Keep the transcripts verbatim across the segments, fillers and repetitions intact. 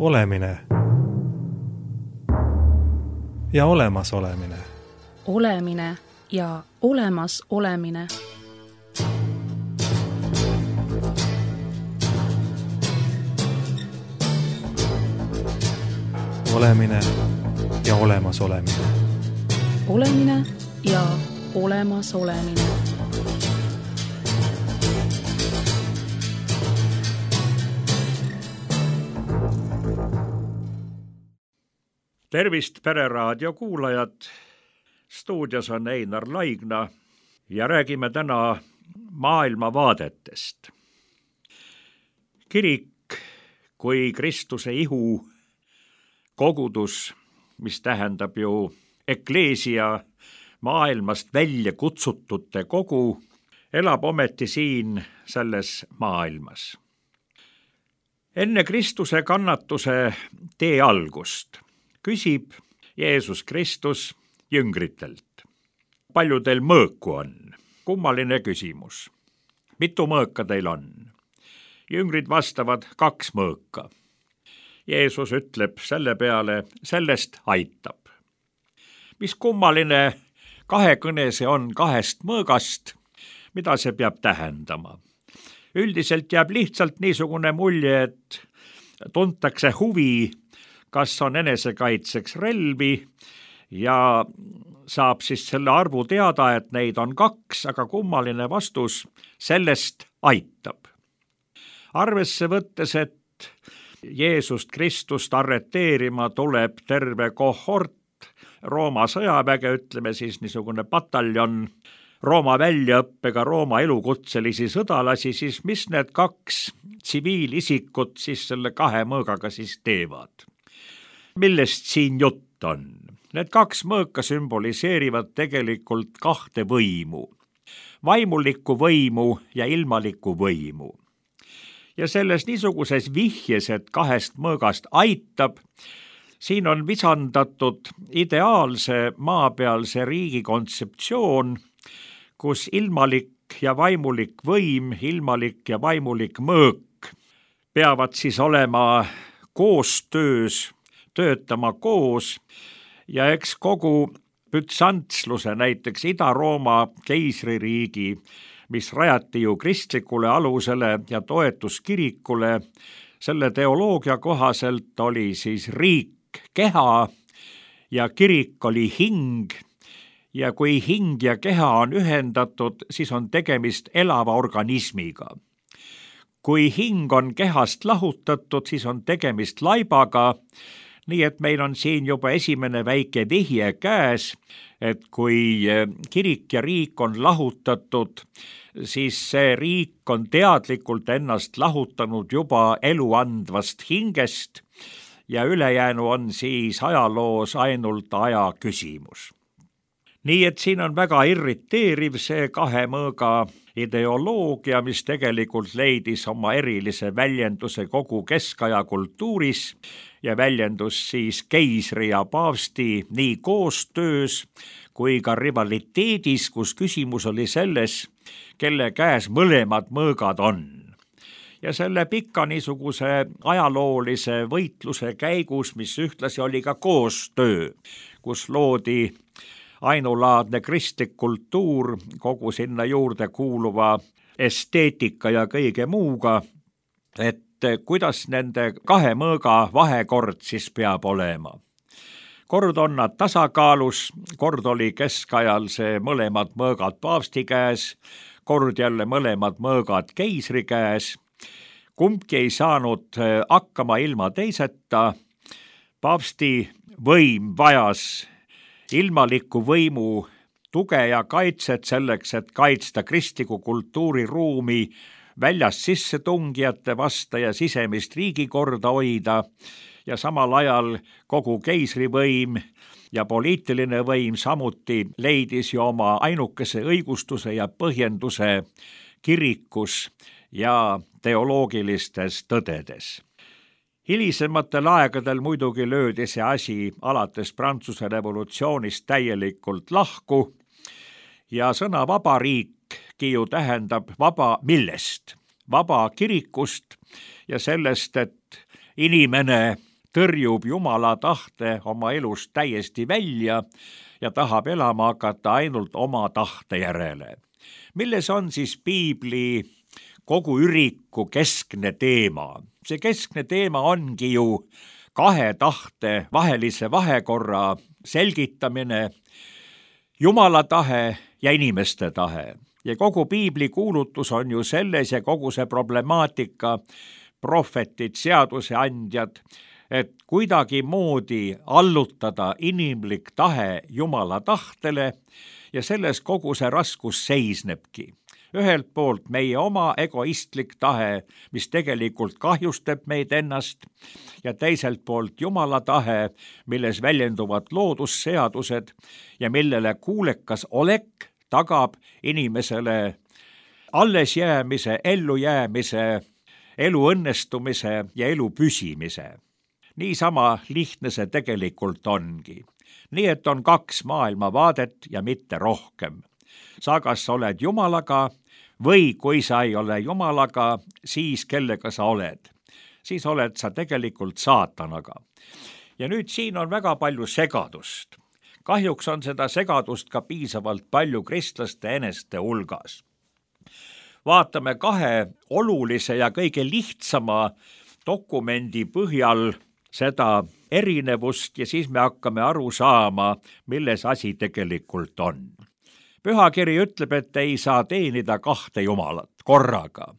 Olemine ja olemas olemine. Olemine ja olemas olemine. Olemine ja olemas olemine. Olemine ja olemas olemine. Tervist, Pereraadio kuulajad! Stuudios on Einar Laigna ja räägime täna maailmavaadetest. Kirik kui Kristuse ihu, kogudus, mis tähendab ju ekleesia, maailmast välja kutsutute kogu, elab ometi siin selles maailmas. Enne Kristuse kannatuse tee algust küsib Jeesus Kristus jüngritelt. Palju teil mõõku on? Kummaline küsimus. Mitu mõõka teil on? Jüngrid vastavad kaks mõõka. Jeesus ütleb selle peale, sellest aitab. Mis kummaline kahekõne see on kahest mõõgast, mida see peab tähendama? Üldiselt jääb lihtsalt niisugune mulje, et tuntakse huvi, kas on enesekaitseks relvi ja saab siis selle arvu teada, et neid on kaks, aga kummaline vastus, sellest aitab. Arvesse võttes, et Jeesust Kristust arreteerima tuleb terve kohort Rooma sõjaväge, ütleme siis niisugune pataljon Rooma väljaõppega Rooma elukutselisi sõdalasi, siis mis need kaks tsiviilisikut siis selle kahe mõõgaga siis teevad? Millest siin jutt on? Need kaks mõõka sümboliseerivad tegelikult kahte võimu, vaimulikku võimu ja ilmalikku võimu. Ja selles niisuguses vihjes, et kahest mõõgast aitab, siin on visandatud ideaalse maapealse riigi kontseptsioon, kus ilmalik ja vaimulik võim, ilmalik ja vaimulik mõõk peavad siis olema koostöös, töötama koos ja eks kogu bütsantsluse, näiteks Ida-Rooma keisririigi, mis rajati ju kristlikule alusele ja toetuskirikule, selle teoloogia kohaselt oli siis riik keha ja kirik oli hing ja kui hing ja keha on ühendatud, siis on tegemist elava organismiga. Kui hing on kehast lahutatud, siis on tegemist laibaga, nii et meil on siin juba esimene väike vihje käes, et kui kirik ja riik on lahutatud, siis see riik on teadlikult ennast lahutanud juba eluandvast hingest ja ülejäänu on siis ajaloos ainult aja küsimus. Nii et siin on väga irriteeriv see kahe mõõga ideoloogia, mis tegelikult leidis oma erilise väljenduse kogu keskaja kultuuris ja väljendus siis keisri ja paavsti nii koostöös kui ka rivaliteedis, kus küsimus oli selles, kelle käes mõlemad mõõgad on. Ja selle pika niisuguse ajaloolise võitluse käigus, mis ühtlasi oli ka koostöö, kus loodi ainulaadne kristlik kultuur kogu sinna juurde kuuluva esteetika ja kõige muuga, et kuidas nende kahe mõõga vahekord siis peab olema. Kord on nad tasakaalus, kord oli keskajal see mõlemad mõõgad paavsti käes, kord jälle mõlemad mõõgad keisri käes. Kumbki ei saanud hakkama ilma teiseta. Paavsti võim vajas ilmaliku võimu tuge ja kaitset selleks, et kaitsta kristliku kultuuriruumi väljast sissetungijate vasta ja sisemist riigikorda hoida ja samal ajal kogu keisrivõim ja poliitiline võim samuti leidis ju oma ainukese õigustuse ja põhjenduse kirikus ja teoloogilistes tõdedes. Hilisematel aegadel muidugi löödi see asi alates Prantsuse revolutsioonist täielikult lahku ja sõna vabariikki ju tähendab vaba millest? Vaba kirikust ja sellest, et inimene tõrjub Jumala tahte oma elust täiesti välja ja tahab elama hakata ainult oma tahte järele. Milles on siis piibli kogu üriku keskne teema? See keskne teema ongi ju kahe tahte vahelise vahekorra selgitamine, Jumala tahe ja inimeste tahe. Ja kogu piibli kuulutus on ju selles ja kogu see problemaatika, prohvetid, seaduseandjad, et kuidagimoodi allutada inimlik tahe Jumala tahtele ja selles kogu see raskus seisnebki. Ühelt poolt meie oma egoistlik tahe, mis tegelikult kahjustab meid ennast, ja teiselt poolt Jumala tahe, milles väljenduvad loodusseadused ja millele kuulekas olek tagab inimesele allesjäämise, ellujäämise, elu õnnestumise ja elu püsimise. Niisama lihtne see tegelikult ongi. Nii et on kaks maailmavaadet ja mitte rohkem. Sa kas oled Jumalaga või kui sa ei ole Jumalaga, siis kellega sa oled. Siis oled sa tegelikult saatanaga. Ja nüüd siin on väga palju segadust. Kahjuks on seda segadust ka piisavalt palju kristlaste eneste hulgas. Vaatame kahe olulise ja kõige lihtsama dokumendi põhjal seda erinevust ja siis me hakkame aru saama, milles asi tegelikult on. Pühakiri ütleb, et ei saa teenida kahte Jumalat korraga.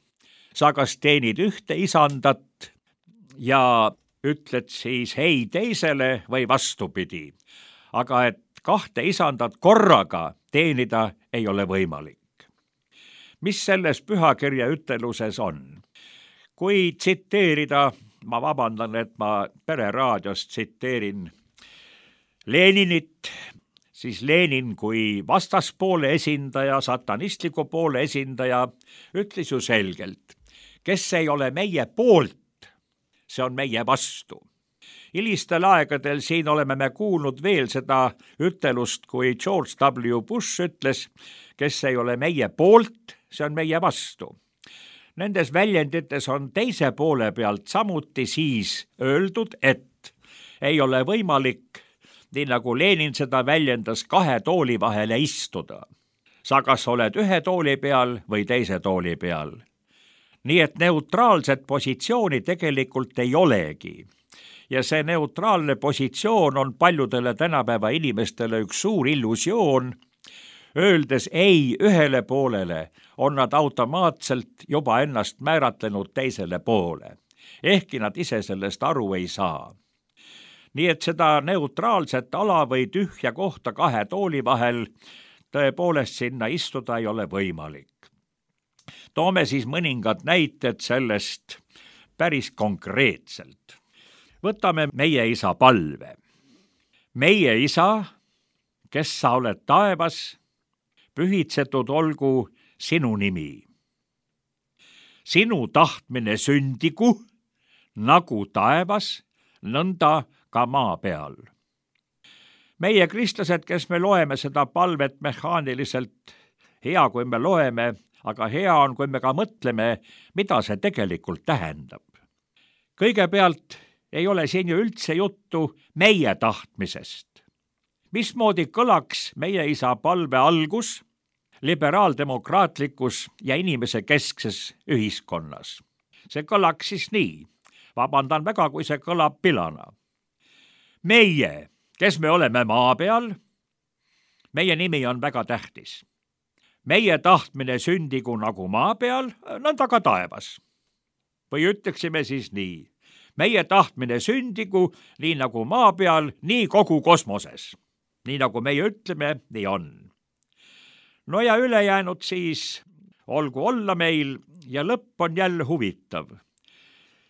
Sa kas teenid ühte isandat ja ütled siis hei teisele või vastupidi. Aga et kahte isandat korraga teenida ei ole võimalik. Mis selles pühakirja üteluses on? Kui tsiteerida, ma vabandan, et ma Pereraadiost tsiteerin Leninit, siis Lenin kui vastaspoole esindaja, satanistliku poole esindaja, ütles ju selgelt, kes ei ole meie poolt, see on meie vastu. Hilistel aegadel siin oleme me kuulnud veel seda ütelust, kui George W. Bush ütles, kes ei ole meie poolt, see on meie vastu. Nendes väljendites on teise poole pealt samuti siis öeldud, et ei ole võimalik, nii nagu Lenin seda väljendas, kahe tooli vahele istuda. Sa kas oled ühe tooli peal või teise tooli peal. Nii et neutraalset positsiooni tegelikult ei olegi. Ja see neutraalne positsioon on paljudele tänapäeva inimestele üks suur illusioon. Öeldes ei ühele poolele, on nad automaatselt juba ennast määratlenud teisele poole. Ehkki nad ise sellest aru ei saa. Nii et seda neutraalset ala või tühja kohta kahe tooli vahel tõepoolest sinna istuda ei ole võimalik. Toome siis mõningad näited sellest päris konkreetselt. Võtame meie isa palve. Meie isa, kes sa oled taevas, pühitsetud olgu sinu nimi. Sinu tahtmine sündigu, nagu taevas, nõnda ka maa peal. Meie kristlased, kes me loeme seda palvet mehaaniliselt, hea kui me loeme, aga hea on, kui me ka mõtleme, mida see tegelikult tähendab. Kõigepealt ei ole siin ju üldse juttu meie tahtmisest. Mismoodi kõlaks meie isa palve algus liberaaldemokraatlikus ja inimese keskses ühiskonnas? See kõlaks siis nii. Vabandan väga, kui see kõlab pilana. Meie, kes me oleme maa peal, meie nimi on väga tähtis. Meie tahtmine sündigu nagu maa peal, nõnda ka taevas. Või ütleksime siis nii. Meie tahtmine sündigu nii nagu maa peal, nii kogu kosmoses. Nii nagu meie ütleme, nii on. No ja ülejäänud siis olgu olla meil ja lõpp on jälle huvitav.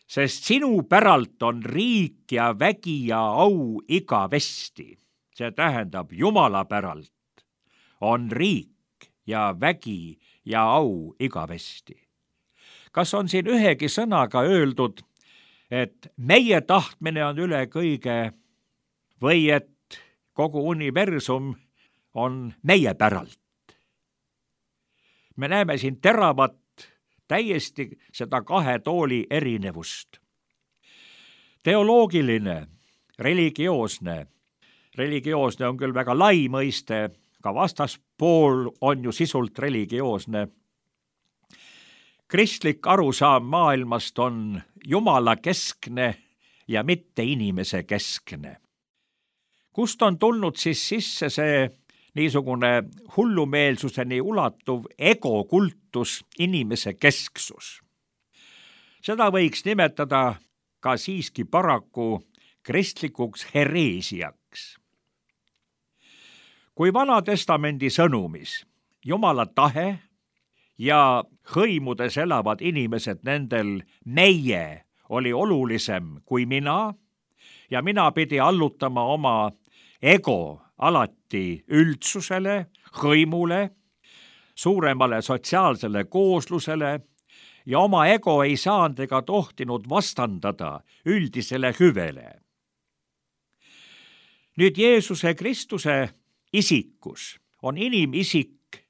Sest sinu päralt on riik ja vägi ja au igavesti. See tähendab Jumala päralt on riik ja vägi ja au igavesti. Kas on siin ühegi sõnaga öeldud, et meie tahtmine on üle kõige või et kogu universum on meie päralt? Me näeme siin teravat täiesti seda kahe tooli erinevust. Teoloogiline, religioosne. Religioosne on küll väga lai mõiste, ka vastaspool on ju sisult religioosne. Kristlik arusaam maailmast on Jumala keskne ja mitte inimese keskne. Kust on tulnud siis sisse see niisugune hullumeelsuseni ulatuv egokultus, inimese kesksus? Seda võiks nimetada ka siiski paraku kristlikuks hereesiaks. Kui Vana Testamendi sõnumis Jumala tahe ja hõimudes elavad inimesed, nendel meie oli olulisem kui mina ja mina pidi allutama oma ego alati üldsusele, hõimule, suuremale sotsiaalsele kooslusele ja oma ego ei saanud ega tohtinud vastandada üldisele hüvele. Nüüd Jeesuse Kristuse isikus on inimisik,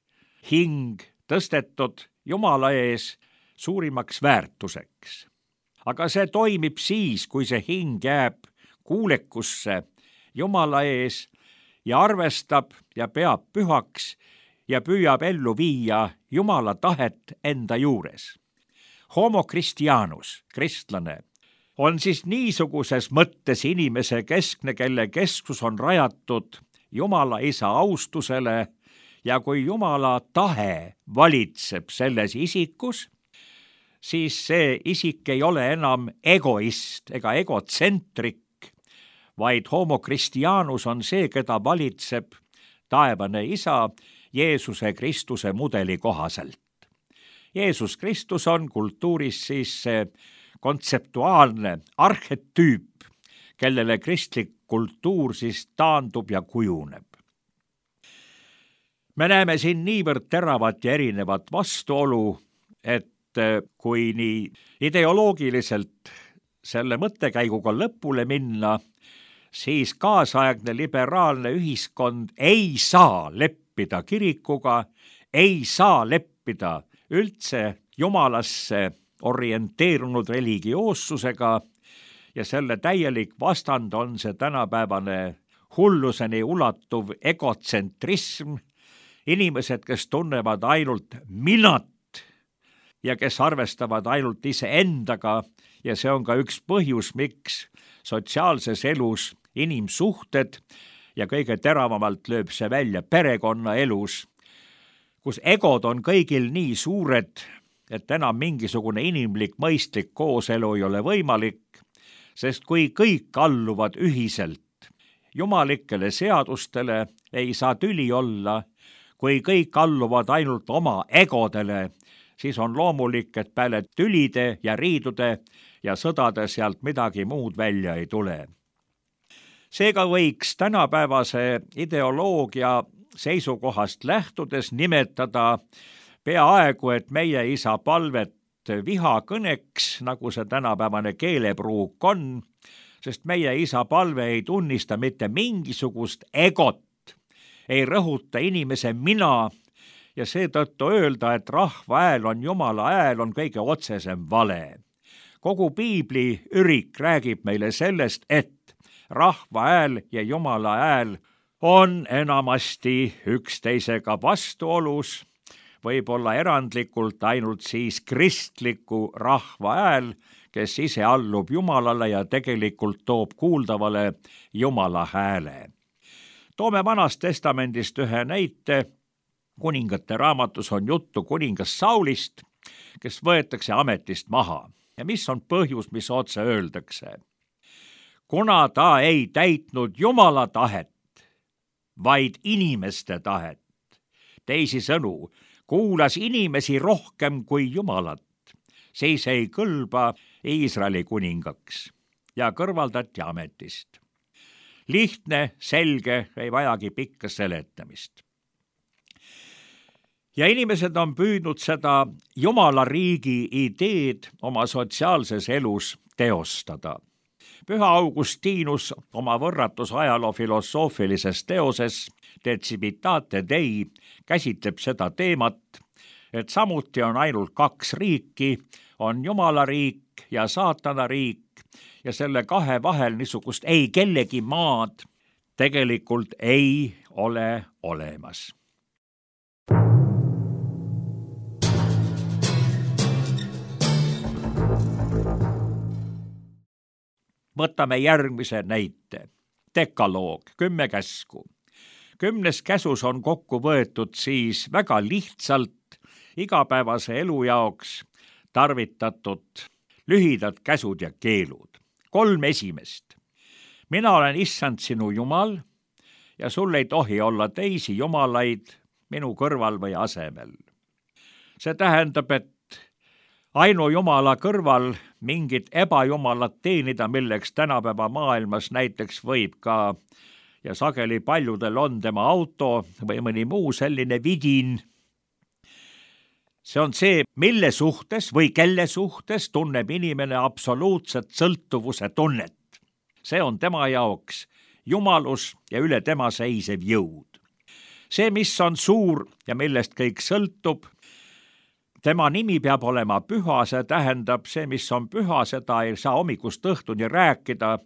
hing tõstetud Jumala ees suurimaks väärtuseks. Aga see toimib siis, kui see hing jääb kuulekusse Jumala ees ja arvestab ja peab pühaks ja püüab ellu viia Jumala tahet enda juures. Homo Christianus, kristlane, on siis niisuguses mõttes inimese keskne, kelle keskus on rajatud Jumala isa austusele ja kui Jumala tahe valitseb selles isikus, siis see isik ei ole enam egoist ega egotsentrik, vaid Homo Christianus on see, keda valitseb taevane isa Jeesuse Kristuse mudeli kohaselt. Jeesus Kristus on kultuuris siis see kontseptuaalne arhetüüp, kellele kristlik kultuur siis taandub ja kujuneb. Me näeme siin niivõrd teravat ja erinevat vastuolu, et kui nii ideoloogiliselt selle mõttekäiguga lõpule minna, siis kaasaegne liberaalne ühiskond ei saa leppida kirikuga, ei saa leppida üldse Jumalasse orienteerunud religioossusega ja selle täielik vastand on see tänapäevane hulluseni ulatuv egotsentrism, inimesed, kes tunnevad ainult minat ja kes arvestavad ainult iseendaga ja see on ka üks põhjus, miks sotsiaalses elus inimsuhted ja kõige teravamalt lööb see välja perekonnaelus, kus egod on kõigil nii suured, et enam mingisugune inimlik mõistlik kooselu ei ole võimalik, sest kui kõik alluvad ühiselt jumalikele seadustele, ei saa tüli olla, kui kõik alluvad ainult oma egodele, siis on loomulik, et peale tülide ja riidude ja sõdade sealt midagi muud välja ei tule. Seega võiks tänapäevase ideoloogia seisukohast lähtudes nimetada peaaegu, et meie isa palvet vihakõneks, nagu see tänapäevane keelepruuk on, sest meie isa palve ei tunnista mitte mingisugust egot, ei rõhuta inimese mina ja seetõttu öelda, et rahva hääl on Jumala hääl, on kõige otsesem vale. Kogu piibli ürik räägib meile sellest, et rahva hääl ja Jumala hääl on enamasti üksteisega vastuolus, võib-olla erandlikult ainult siis kristliku rahva hääl, kes ise allub Jumalale ja tegelikult toob kuuldavale Jumala hääle. Toome Vanast Testamendist ühe näite. Kuningate raamatus on juttu kuningas Saulist, kes võetakse ametist maha. Ja mis on põhjus, mis otse öeldakse? Kuna ta ei täitnud Jumala tahet, vaid inimeste tahet. Teisi sõnu, kuulas inimesi rohkem kui Jumalat, siis ei kõlba Iisraeli kuningaks ja kõrvaldati ametist. Lihtne, selge, ei vajagi pikka seletamist. Ja inimesed on püüdnud seda Jumala riigi ideed oma sotsiaalses elus teostada. Püha Augustinus oma võrratus ajaloo filosoofilises teoses De Civitate Dei käsitleb seda teemat, et samuti on ainult kaks riiki, on Jumala riik ja saatana riik ja selle kahe vahel niisugust ei kellegi maad tegelikult ei ole olemas. Võtame järgmise näite. Dekaloog, kümme käsku. Kümnes käsus on kokku võetud siis väga lihtsalt igapäevase elu jaoks tarvitatud lühidad käsud ja keelud. Kolm esimest. Mina olen issand sinu Jumal ja sul ei tohi olla teisi jumalaid minu kõrval või asemel. See tähendab, et ainu Jumala kõrval mingit ebajumalat teenida, milleks tänapäeva maailmas näiteks võib ka ja sageli paljudel on tema auto või mõni muu selline vidin. See on see, mille suhtes või kelle suhtes tunneb inimene absoluutset sõltuvuse tunnet. See on tema jaoks jumalus ja üle tema seisev jõud. See, mis on suur ja millest kõik sõltub, tema nimi peab olema püha, see tähendab, see, mis on püha, seda ei saa hommikust õhtuni rääkida,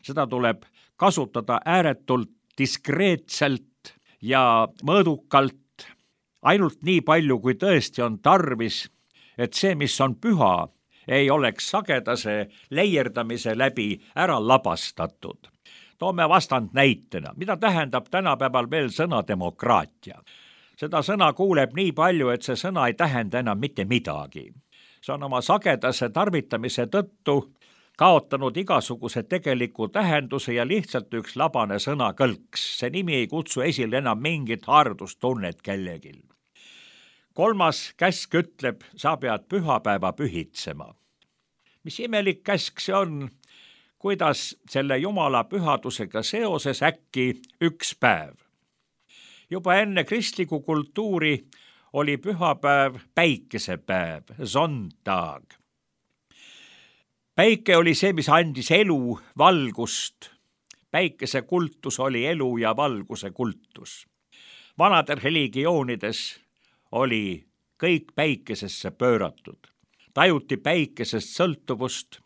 seda tuleb kasutada ääretult diskreetselt ja mõõdukalt, ainult nii palju, kui tõesti on tarvis, et see, mis on püha, ei oleks sagedase leierdamise läbi ära labastatud. Toome vastand näitena, mida tähendab tänapäeval veel sõna demokraatia. Seda sõna kuuleb nii palju, et see sõna ei tähenda enam mitte midagi. See on oma sagedase tarvitamise tõttu kaotanud igasuguse tegeliku tähenduse ja lihtsalt üks labane sõnakõlks. See nimi ei kutsu esile enam mingit haardustunnet kellegil. Kolmas käsk ütleb, sa pead pühapäeva pühitsema. Mis imelik käsk see on, kuidas selle Jumala pühadusega seoses äkki üks päev. Juba enne kristliku kultuuri oli pühapäev päikesepäev, Sonntag. Päike oli see, mis andis elu, valgust. Päikese kultus oli elu ja valguse kultus. Vanadel religioonides oli kõik päikesesse pööratud. Tajuti päikesest sõltuvust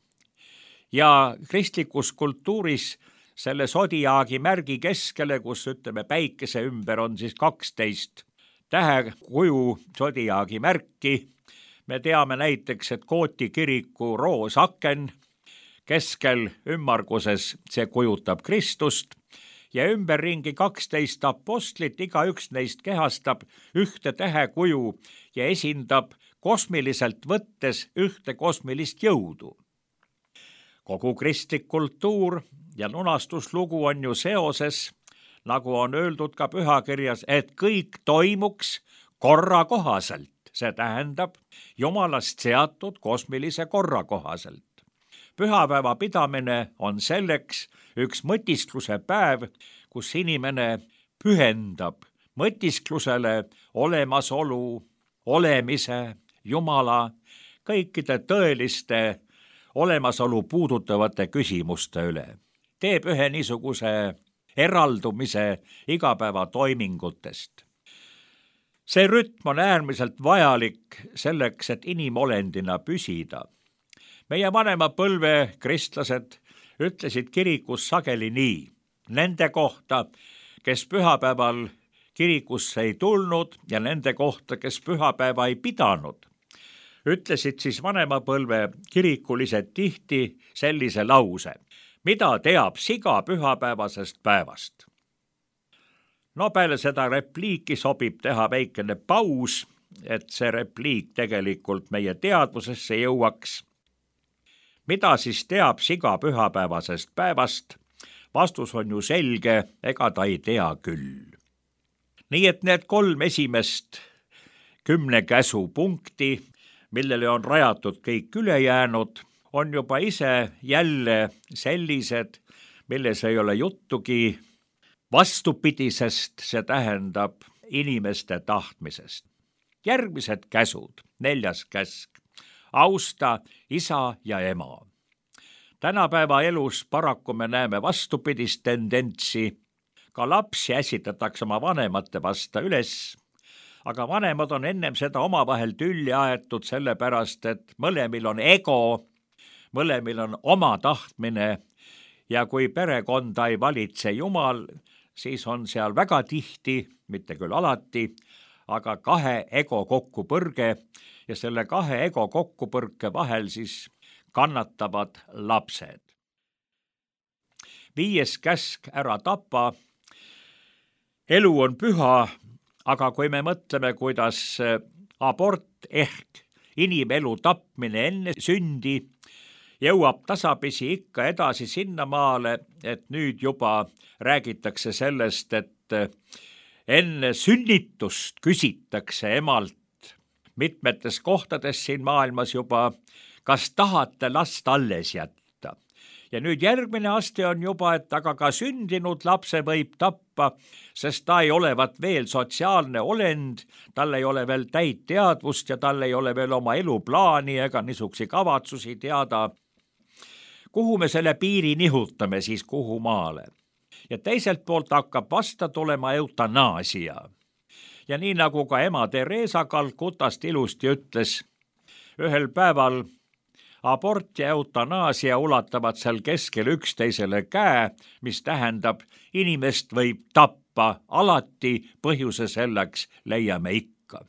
ja kristlikus kultuuris selle sodiaagi märgi keskele, kus ütleme päikese ümber on siis kaksteist tähekuju sodiaagi märki. Me teame näiteks, et Kooti kiriku roosaken keskel ümmarguses see kujutab Kristust ja ümberringi kaksteist apostlit, igaüks neist kehastab ühte tähekuju ja esindab kosmiliselt võttes ühte kosmilist jõudu. Kogu kristlik kultuur ja lunastuslugu on ju seoses, nagu on öeldud ka pühakirjas, et kõik toimuks korra kohaselt. See tähendab Jumalast seatud kosmilise korra kohaselt. Pühapäeva pidamine on selleks üks mõtiskluse päev, kus inimene pühendab mõtisklusele olemasolu, olemise, Jumala, kõikide tõeliste olemasolu puudutavate küsimuste üle. Teeb ühe niisuguse eraldumise igapäeva toimingutest. See rütm on äärmiselt vajalik selleks, et inimolendina püsida. Meie vanema põlve kristlased ütlesid kirikus sageli nii. Nende kohta, kes pühapäeval kirikusse ei tulnud ja nende kohta, kes pühapäeva ei pidanud, ütlesid siis vanema põlve kirikulised tihti sellise lause. Mida teab siga pühapäevasest päevast? No peale seda repliiki sobib teha väikene paus, et see repliik tegelikult meie teadvusesse jõuaks. Mida siis teab siga pühapäevasest päevast? Vastus on ju selge, ega ta ei tea küll. Nii et need kolm esimest kümne käsu punkti, millele on rajatud kõik ülejäänud, on juba ise jälle sellised, milles ei ole juttugi vastupidisest, see tähendab inimeste tahtmisest. Järgmised käsud, neljas käsk, austa isa ja ema. Tänapäeva elus paraku me näeme vastupidist tendentsi, ka lapsi äsitatakse oma vanemate vasta üles, aga vanemad on ennem seda omavahel tülli aetud, sellepärast et mõlemil on ego, mõlemil on oma tahtmine ja kui perekonda ei valitse Jumal, siis on seal väga tihti, mitte küll alati, aga kahe ego kokkupõrge ja selle kahe ego kokkupõrke vahel siis kannatavad lapsed. Viies käsk, ära tapa. Elu on püha, aga kui me mõtleme, kuidas abort ehk inimelu tapmine enne sündi jõuab tasapisi ikka edasi sinnamaale, et nüüd juba räägitakse sellest, et enne sünnitust küsitakse emalt mitmetes kohtades siin maailmas juba, kas tahate last alles jätta. Ja nüüd järgmine aste on juba, et aga ka sündinud lapse võib tappa, sest ta ei olevat veel sotsiaalne olend, tal ei ole veel täit teadvust ja tal ei ole veel oma eluplaani ega niisugusi kavatsusi teada. Kuhu me selle piiri nihutame siis, kuhu maale? Ja teiselt poolt hakkab vasta tulema eutanaasia. Ja nii nagu ka ema Teresa Calcutast ilusti ütles, ühel päeval abort ja eutanaasia ulatavad seal keskel üksteisele käe, mis tähendab, inimest võib tappa alati, põhjuse selleks leiame ikka.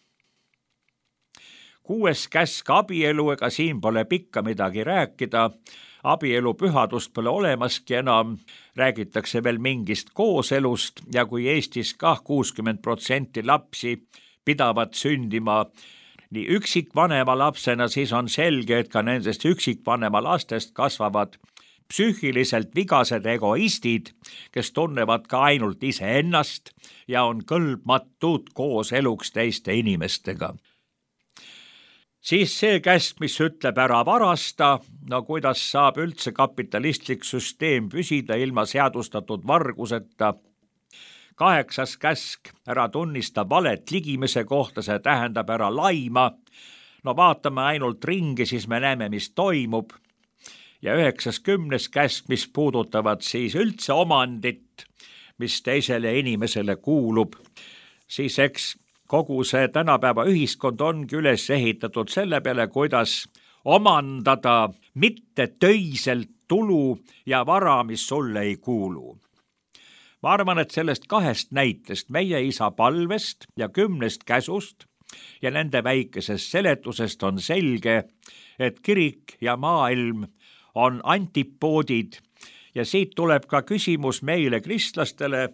Kuues käsk, abielu, ega siin pole pikka midagi rääkida. Abielu pühadust pole olemaski enam, räägitakse veel mingist kooselust ja kui Eestis kah kuuskümmend protsenti lapsi pidavat sündima nii üksikvanema lapsena, siis on selge, et ka nendest üksikvanema lastest kasvavad psüühiliselt vigased egoistid, kes tunnevad ka ainult iseennast ja on kõlbmatud koos eluks teiste inimestega. Siis see käsk, mis ütleb ära varasta, no kuidas saab üldse kapitalistlik süsteem püsida ilma seadustatud varguseta. Kaheksas käsk, ära tunnista valet ligimise kohta, see tähendab ära laima. No vaatame ainult ringi, siis me näeme, mis toimub. Ja üheksas kümnes käsk, mis puudutavad siis üldse omandit, mis teisele inimesele kuulub, siis eks kogu see tänapäeva ühiskond ongi üles ehitatud selle peale, kuidas omandada mitte töiselt tulu ja vara, mis sulle ei kuulu. Ma arvan, et sellest kahest näitest, meie isa palvest ja kümnest käsust ja nende väikesest seletusest on selge, et kirik ja maailm on antipoodid ja siit tuleb ka küsimus meile kristlastele,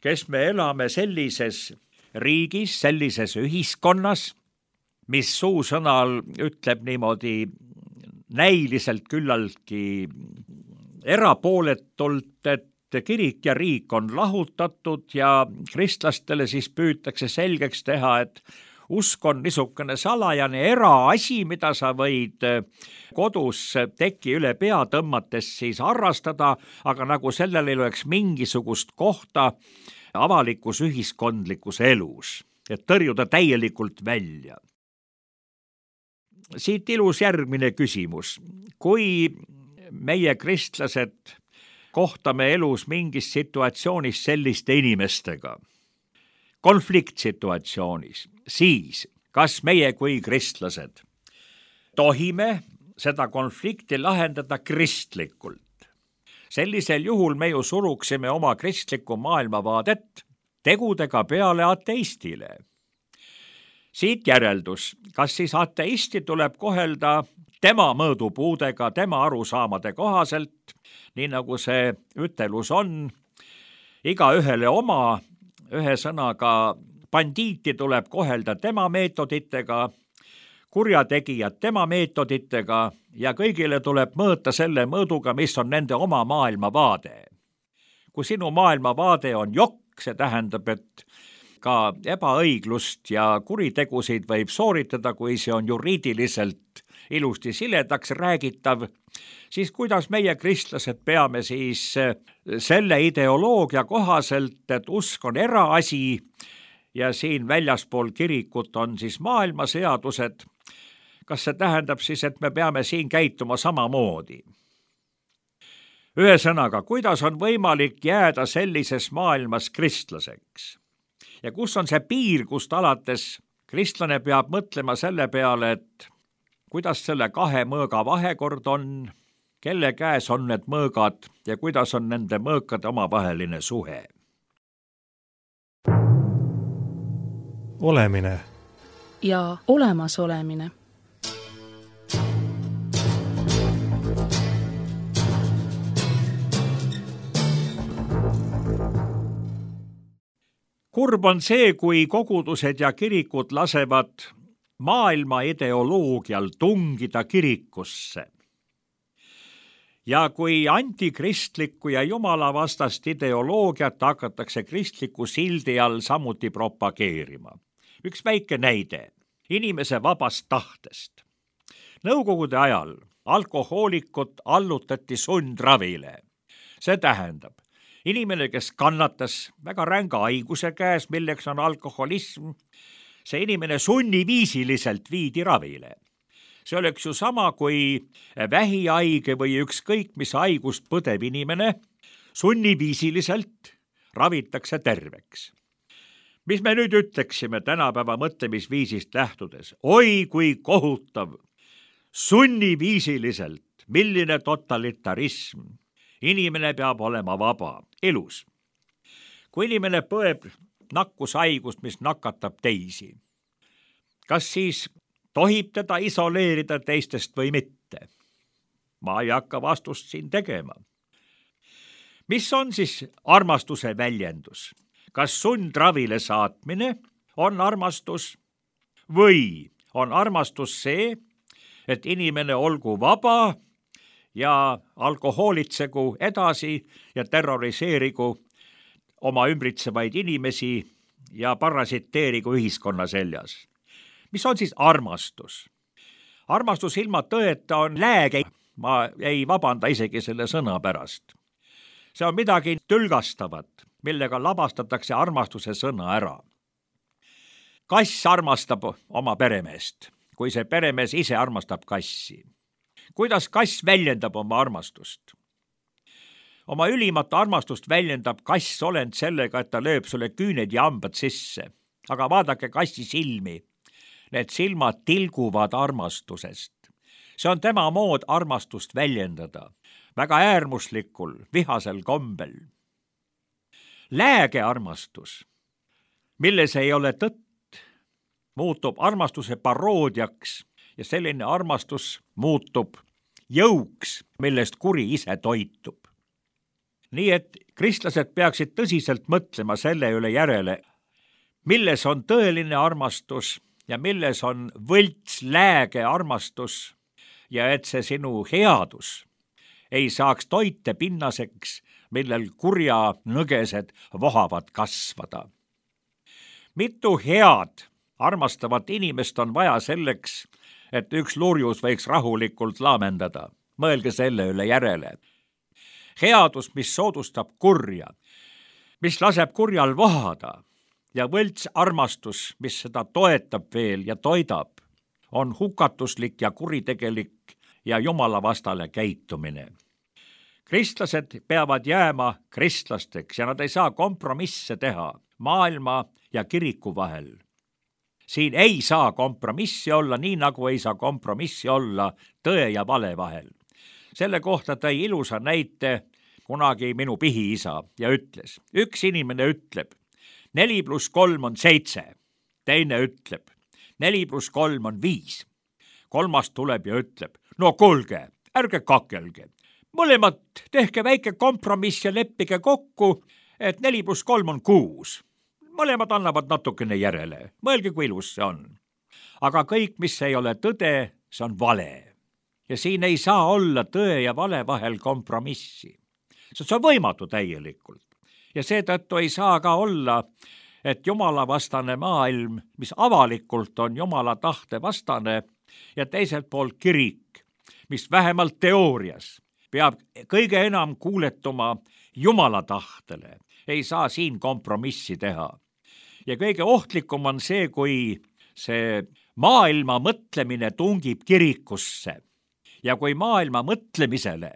kes me elame sellises riigis, sellises ühiskonnas, mis suusõnal ütleb niimoodi näiliselt küllaltki erapooletult, et kirik ja riik on lahutatud ja kristlastele siis püütakse selgeks teha, et usk on niisugune salajane eraasi, mida sa võid kodus teki üle pea tõmmates siis harrastada, aga nagu sellel ei oleks mingisugust kohta avalikus ühiskondlikus elus, et tõrjuda täielikult välja. Siit ilus järgmine küsimus. Kui meie kristlased kohtame elus mingis situatsioonis selliste inimestega, konfliktsituatsioonis, siis kas meie kui kristlased tohime seda konflikti lahendada kristlikult? Sellisel juhul me ju suruksime oma kristlikku maailmavaadet tegudega peale ateistile. Siit järeldus, kas siis ateisti tuleb kohelda tema mõõdupuudega, tema arusaamade kohaselt, nii nagu see ütelus on, iga ühele oma, ühe sõnaga bandiiti tuleb kohelda tema meetoditega, kurjategijad tema meetoditega ja kõigile tuleb mõõta selle mõõduga, mis on nende oma maailmavaade. Kui sinu maailmavaade on jokk, see tähendab, et ka ebaõiglust ja kuritegusid võib sooritada, kui see on juriidiliselt ilusti siledaks räägitav, siis kuidas meie kristlased peame siis selle ideoloogia kohaselt, et usk on eraasi ja siin väljaspool kirikut on siis maailmaseadused, kas see tähendab siis, et me peame siin käituma samamoodi? Ühesõnaga, kuidas on võimalik jääda sellises maailmas kristlaseks? ja kus on see piir, kust alates kristlane peab mõtlema selle peale, et kuidas selle kahe mõõga vahekord on, kelle käes on need mõõgad ja kuidas on nende mõõkade omavaheline suhe. Olemine ja olemasolemine. Kurb on see, kui kogudused ja kirikud lasevad maailma ideoloogial tungida kirikusse. Ja kui antikristlikku ja jumalavastast ideoloogiat hakatakse kristliku sildi all samuti propageerima. Üks väike näide inimese vabast tahtest. Nõukogude ajal alkohoolikut allutati sundravile. See tähendab, inimene, kes kannatas väga ränga haiguse käes, milleks on alkoholism, see inimene sunniviisiliselt viidi ravile. See oleks ju sama, kui vähihaige või ükskõik mis haigust põdev inimene sunniviisiliselt ravitakse terveks. Mis me nüüd ütleksime tänapäeva mõtlemisviisist lähtudes? Oi, kui kohutav! Sunniviisiliselt, milline totalitarism! Inimene peab olema vaba, elus. Kui inimene põeb nakkushaigust, mis nakatab teisi, kas siis tohib teda isoleerida teistest või mitte? Ma ei hakka vastust siin tegema. Mis on siis armastuse väljendus? Kas sundravile saatmine on armastus või on armastus see, et inimene olgu vaba ja alkohoolitsegu edasi ja terroriseerigu oma ümbritsevaid inimesi ja parasiteerigu ühiskonna seljas. Mis on siis armastus? Armastus ilma tõeta on lääge. Ma ei vabanda isegi selle sõna pärast. See on midagi tülgastavat, millega labastatakse armastuse sõna ära. Kass armastab oma peremeest, kui see peremees ise armastab kassi. Kuidas kass väljendab oma armastust? Oma ülimat armastust väljendab kass olend sellega, et ta lööb sulle küüned ja hambad sisse. Aga vaadake kassi silmi. Need silmad tilguvad armastusest. See on tema mood armastust väljendada. Väga äärmuslikul, vihasel kombel. Lääge armastus, milles ei ole tõtt, muutub armastuse paroodiaks ja selline armastus muutub jõuks, millest kuri ise toitub. Nii et kristlased peaksid tõsiselt mõtlema selle üle järele, milles on tõeline armastus ja milles on võlts lääge armastus ja et see sinu headus ei saaks toite pinnaseks, millel kurja nõgesed vohavad kasvada. Mitu head armastavat inimest on vaja selleks, et üks lurjus võiks rahulikult laamendada. Mõelge selle üle järele. Headus, mis soodustab kurja, mis laseb kurjal vohada ja võlts armastus, mis seda toetab veel ja toidab, on hukatuslik ja kuritegelik ja jumalavastale käitumine. Kristlased peavad jääma kristlasteks ja nad ei saa kompromisse teha maailma ja kiriku vahel. Siin ei saa kompromissi olla, nii nagu ei saa kompromissi olla tõe ja vale vahel. Selle kohta tõi ilusa näite kunagi minu pihiisa ja ütles, üks inimene ütleb, neli pluss kolm on seitse, teine ütleb, neli pluss kolm on viis. Kolmas tuleb ja ütleb, no kuulge, ärge kakelge. Mõlemad tehke väike kompromiss ja leppige kokku, et neli pluss kolm on kuus. Mõlemad annavad natukene järele. Mõelge, kui ilus see on. Aga kõik, mis ei ole tõde, see on vale. Ja siin ei saa olla tõe ja vale vahel kompromissi. See on võimatu täielikult. Ja seetõttu ei saa ka olla, et jumalavastane maailm, mis avalikult on jumala tahte vastane, ja teiselt poolt kirik, mis vähemalt teoorias peab kõige enam kuuletuma jumala tahtele, ei saa siin kompromissi teha. Ja kõige ohtlikum on see, kui see maailma mõtlemine tungib kirikusse ja kui maailma mõtlemisele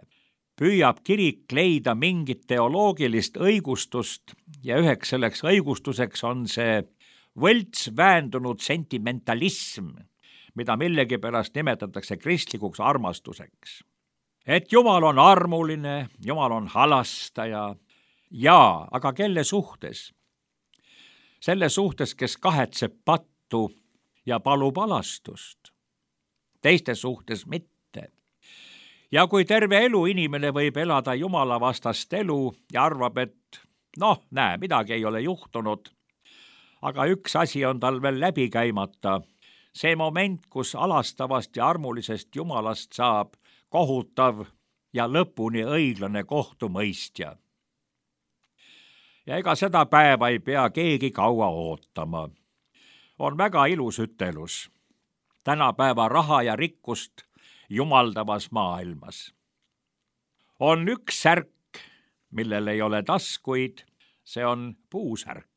püüab kirik leida mingit teoloogilist õigustust ja üheks selleks õigustuseks on see võlts väändunud sentimentalism, mida millegipärast nimetatakse kristlikuks armastuseks. Et Jumal on armuline, Jumal on halastaja, jaa, aga kelle suhtes? Selle suhtes, kes kahetseb pattu ja palub alastust. Teiste suhtes mitte. Ja kui terve elu inimene võib elada Jumala vastast elu ja arvab, et noh, näe, midagi ei ole juhtunud, aga üks asi on tal veel läbi käimata. See moment, kus alastavast ja armulisest Jumalast saab kohutav ja lõpuni õiglane kohtumõistja. Ja ega seda päeva ei pea keegi kaua ootama. On väga ilus ütelus. Tänapäeva raha ja rikkust jumaldavas maailmas. On üks särk, millel ei ole taskuid, see on puusärk.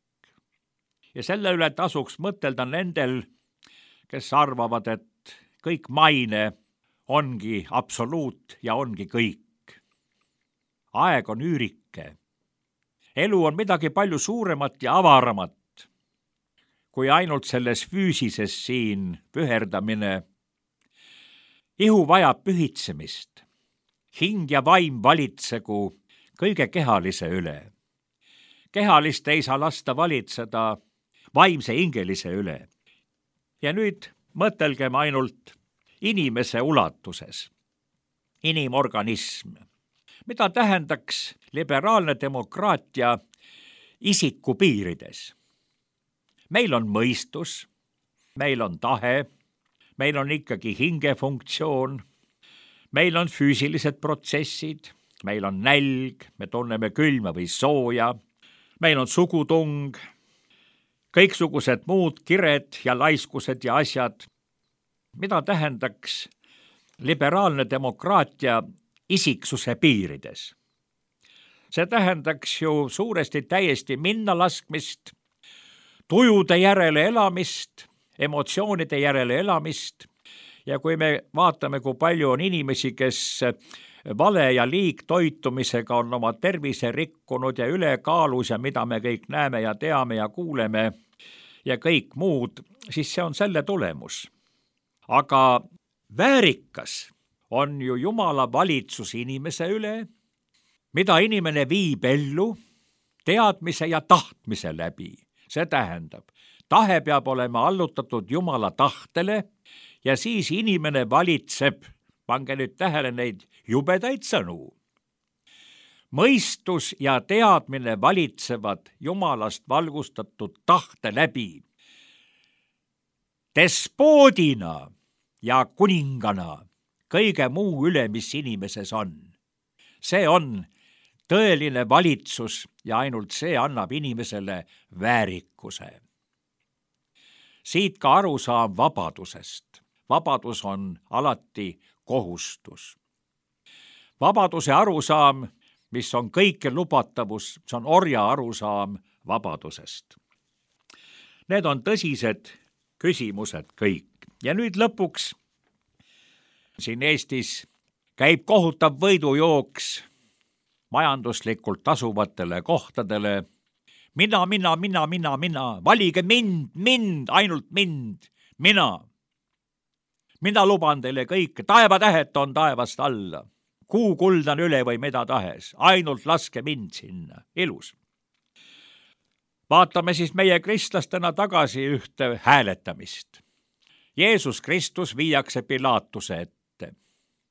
Ja selle üle tasuks mõtelda nendel, kes arvavad, et kõik maine ongi absoluut ja ongi kõik. Aeg on üürike. Elu on midagi palju suuremat ja avaramat, kui ainult selles füüsises siin püherdamine. Ihu vajab pühitsemist. Hing ja vaim valitsegu kõige kehalise üle. Kehalist ei saa lasta valitseda vaimse hingelise üle. Ja nüüd mõtelgem ainult inimese ulatuses. Inimorganism. Mida tähendaks liberaalne demokraatia isiku piirides? Meil on mõistus, meil on tahe, meil on ikkagi hingefunktsioon, meil on füüsilised protsessid, meil on nälg, me tunneme külma või sooja, meil on sugutung, kõiksugused muud kired ja laiskused ja asjad. Mida tähendaks liberaalne demokraatia isiksuse piirides? See tähendaks ju suuresti täiesti minna laskmist, tujude järele elamist, emotsioonide järele elamist ja kui me vaatame, kui palju on inimesi, kes vale ja liigtoitumisega on oma tervise rikkunud ja ülekaalus ja mida me kõik näeme ja teame ja kuuleme ja kõik muud, siis see on selle tulemus. Aga väärikas on ju Jumala valitsus inimese üle, mida inimene viib ellu teadmise ja tahtmise läbi. See tähendab, tahe peab olema allutatud Jumala tahtele ja siis inimene valitseb, pange nüüd tähele neid jubedaid sõnu. Mõistus ja teadmine valitsevad Jumalast valgustatud tahte läbi. Despoodina ja kuningana kõige muu üle, mis inimeses on. See on tõeline valitsus ja ainult see annab inimesele väärikuse. Siit ka arusaam vabadusest. Vabadus on alati kohustus. Vabaduse arusaam, mis on kõike lubatavus, see on orja arusaam vabadusest. Need on tõsised küsimused kõik. Ja nüüd lõpuks siin Eestis käib kohutav võidujooks majanduslikult tasuvatele kohtadele. Mina, mina, mina, mina, mina, valige mind, mind, ainult mind, mina. Mina luban teile kõike, taevatähet on taevast alla, kuu kuldan üle või mida tahes, ainult laske mind sinna, ilus. Vaatame siis meie kristlastena tagasi ühte hääletamist. Jeesus Kristus viiakse Pilaatuse ette.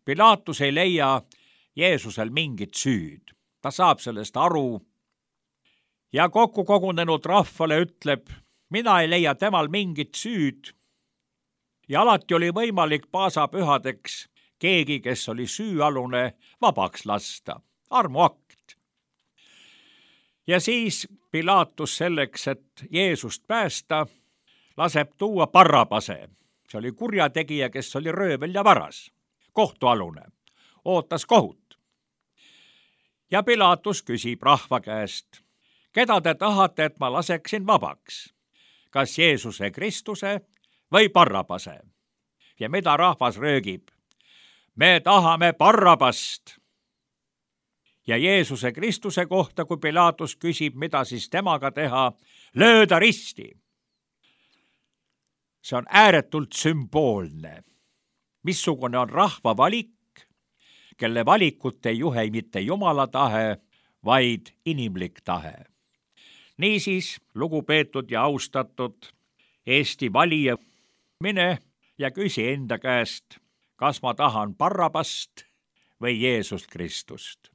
Pilaatus ei leia Jeesusel mingit süüd. Ta saab sellest aru ja kokku kogunenud rahvale ütleb, mina ei leia temal mingit süüd. Ja alati oli võimalik paasapühadeks keegi, kes oli süüalune, vabaks lasta. Armuakt. Ja siis Pilaatus selleks, et Jeesust päästa, laseb tuua Barrabase. See oli kurjategija, kes oli röövel ja varas. Kohtualune. Ootas kohut. Ja Pilaatus küsib rahva käest, keda te tahate, et ma laseksin vabaks? Kas Jeesuse Kristuse või Barrabase? Ja mida rahvas röögib? Me tahame Barrabast. ja Jeesuse Kristuse kohta, kui Pilatus küsib, mida siis temaga teha, lööda risti. See on ääretult sümboolne. Missugune on rahva valik, kelle valikut ei juhe mitte Jumala tahe, vaid inimlik tahe. Niisiis, lugupeetud ja austatud Eesti valija, mine ja küsi enda käest, kas ma tahan Barrabast või Jeesust Kristust.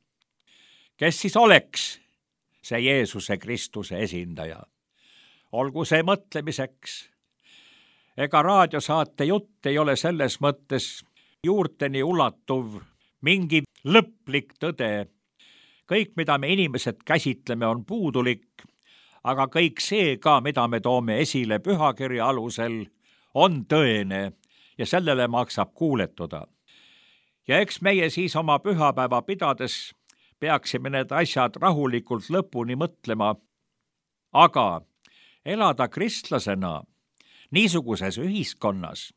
Kes siis oleks see Jeesuse Kristuse esindaja? Olgu see mõtlemiseks. Ega raadiosaate jutt ei ole selles mõttes juurteni ulatuv mingi lõplik tõde. Kõik, mida me inimesed käsitleme, on puudulik, aga kõik see ka, mida me toome esile pühakirja alusel, on tõene ja sellele maksab kuuletuda. Ja eks meie siis oma pühapäeva pidades peaksime need asjad rahulikult lõpuni mõtlema, aga elada kristlasena niisuguses ühiskonnas.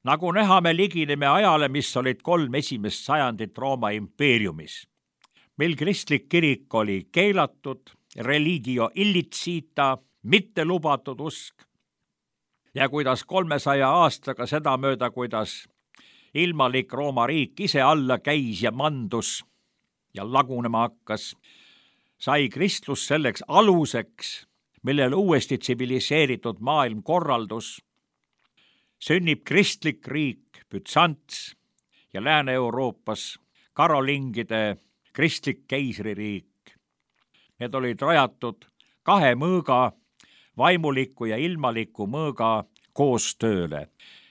Nagu näha, me ligineme ajale, mis olid kolm esimest sajandit Rooma impeeriumis, mil kristlik kirik oli keelatud, religio illicita, mitte lubatud usk, ja kuidas kolmesaja aastaga sedamööda, kuidas ilmalik Rooma riik ise alla käis ja mandus ja lagunema hakkas, sai kristlus selleks aluseks, millel uuesti tsiviliseeritud maailmkorraldus, sünnib kristlik riik Bütsants ja Lääne-Euroopas karolingide kristlik keisririik. Need olid rajatud kahe mõõga, vaimuliku ja ilmaliku mõõga koostööle.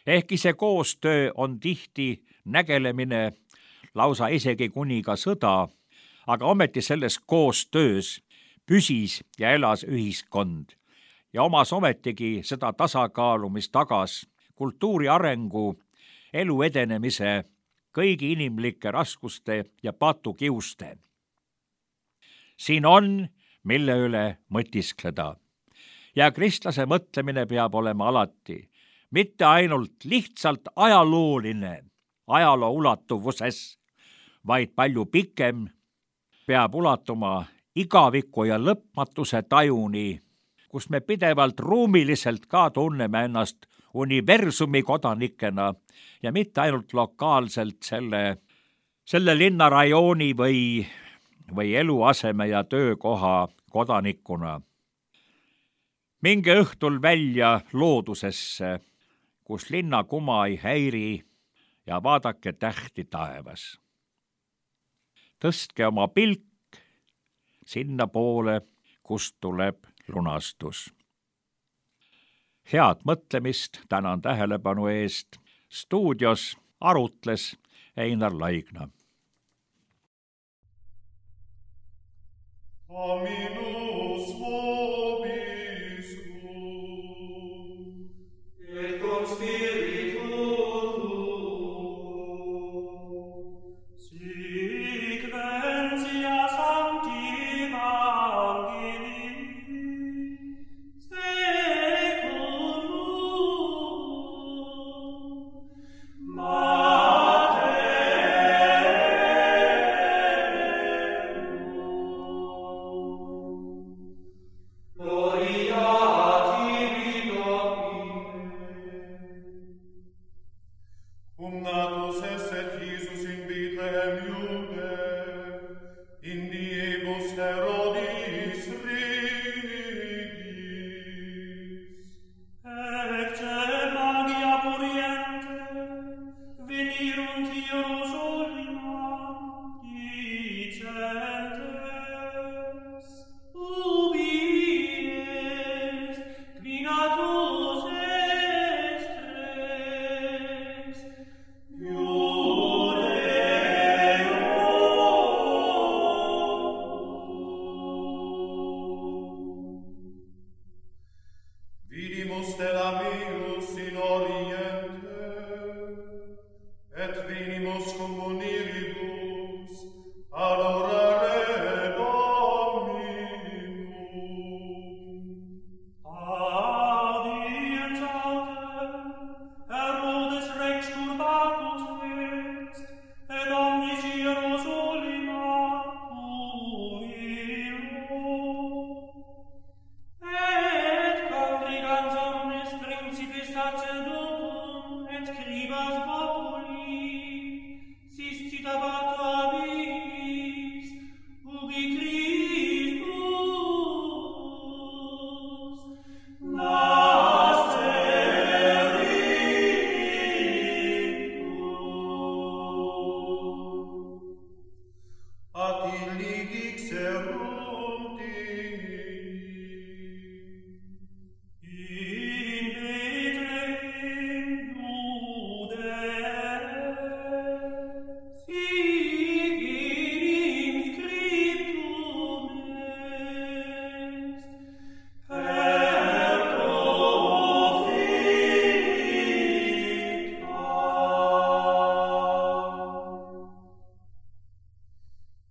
Ehkki see koostöö on tihti nägelemine, lausa isegi kuni ka sõda, aga ometi selles koostöös püsis ja elas ühiskond ja omas ometigi seda tasakaalu, mis tagas kultuuri arengu, elu edenemise, kõigi inimlike raskuste ja patukiuste. Siin on, mille üle mõtiskleda. Ja kristlase mõtlemine peab olema alati, mitte ainult lihtsalt ajalooline, ajaloo ulatuvuses, vaid palju pikem, peab ulatuma igaviku ja lõpmatuse tajuni, kus me pidevalt ruumiliselt ka tunneme ennast universumi kodanikena ja mitte ainult lokaalselt selle, selle linnarajooni või, või eluaseme ja töökoha kodanikuna. Minge õhtul välja loodusesse, kus linnakuma ei häiri ja vaadake tähti taevas. Tõstke oma pilk sinna poole, kust tuleb lunastus. Head mõtlemist, tänan tähelepanu eest. Stuudios arutles Einar Laigna. Aminus vobis et cum spiritu sequentia sancti Evangelii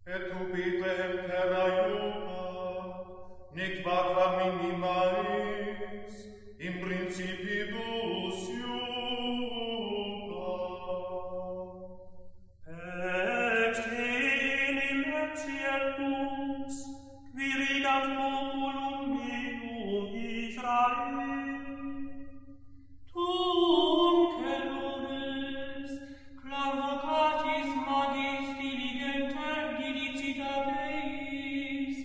Et ubitem terra iuda, nec vaqua minimalis, in principibus iuda. Et enim etiet lux, quirigat populum meum Israel. Tunque lunes, clam vocatis magis diligenter dilicita Deis,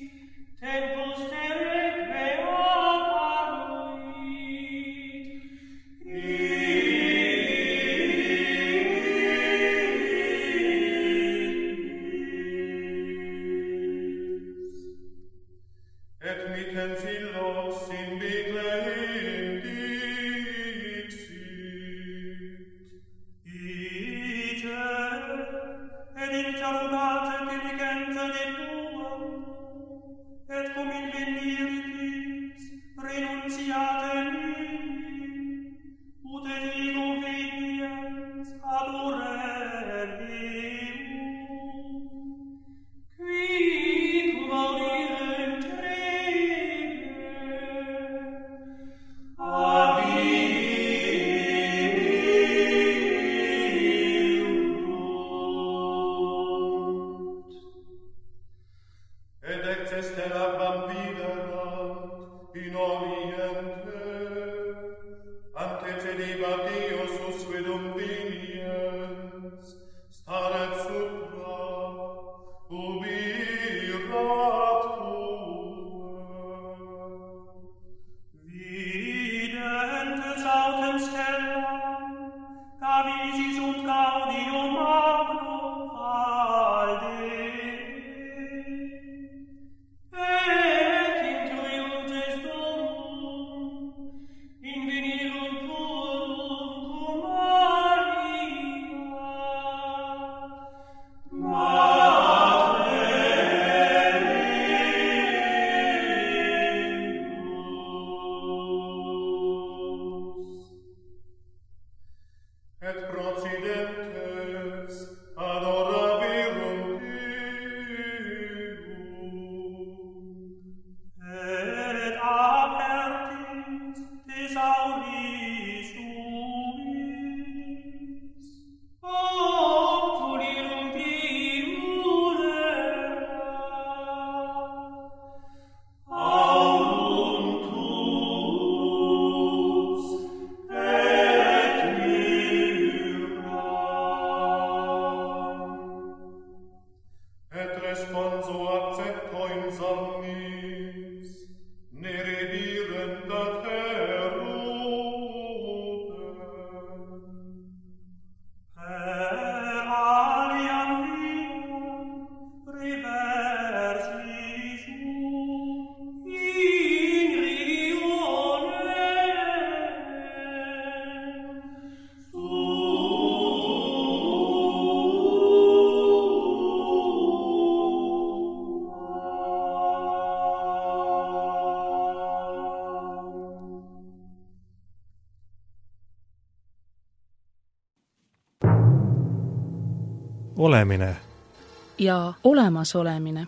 tempus terrae apparuit. Et mittens illos in Bethlehem dixit. Ite, et interrogate diligente de tuam, et cum inveniris renunciate mihi, ut et ego veniens ad orelium, qui cum audirem treme, abiunt. Et ex stella quam viderat in oriente, antecedebat Deus usquedum veniens, staret supra, ubi irat Videntes autem stellam, cavisis und gaudium magno valde. Et intuiuntes Domum, invenirum purum cum Maria, Mater eius. et procidentes adoravirum Deum. Et apertis thesauris tuis, obtulirum primudera, aurum tuus et myrrha. Et responso accepto in somnis, ne redirendat Herodem. Per aliam viam reversis in regionem Olemine ja olemasolemine.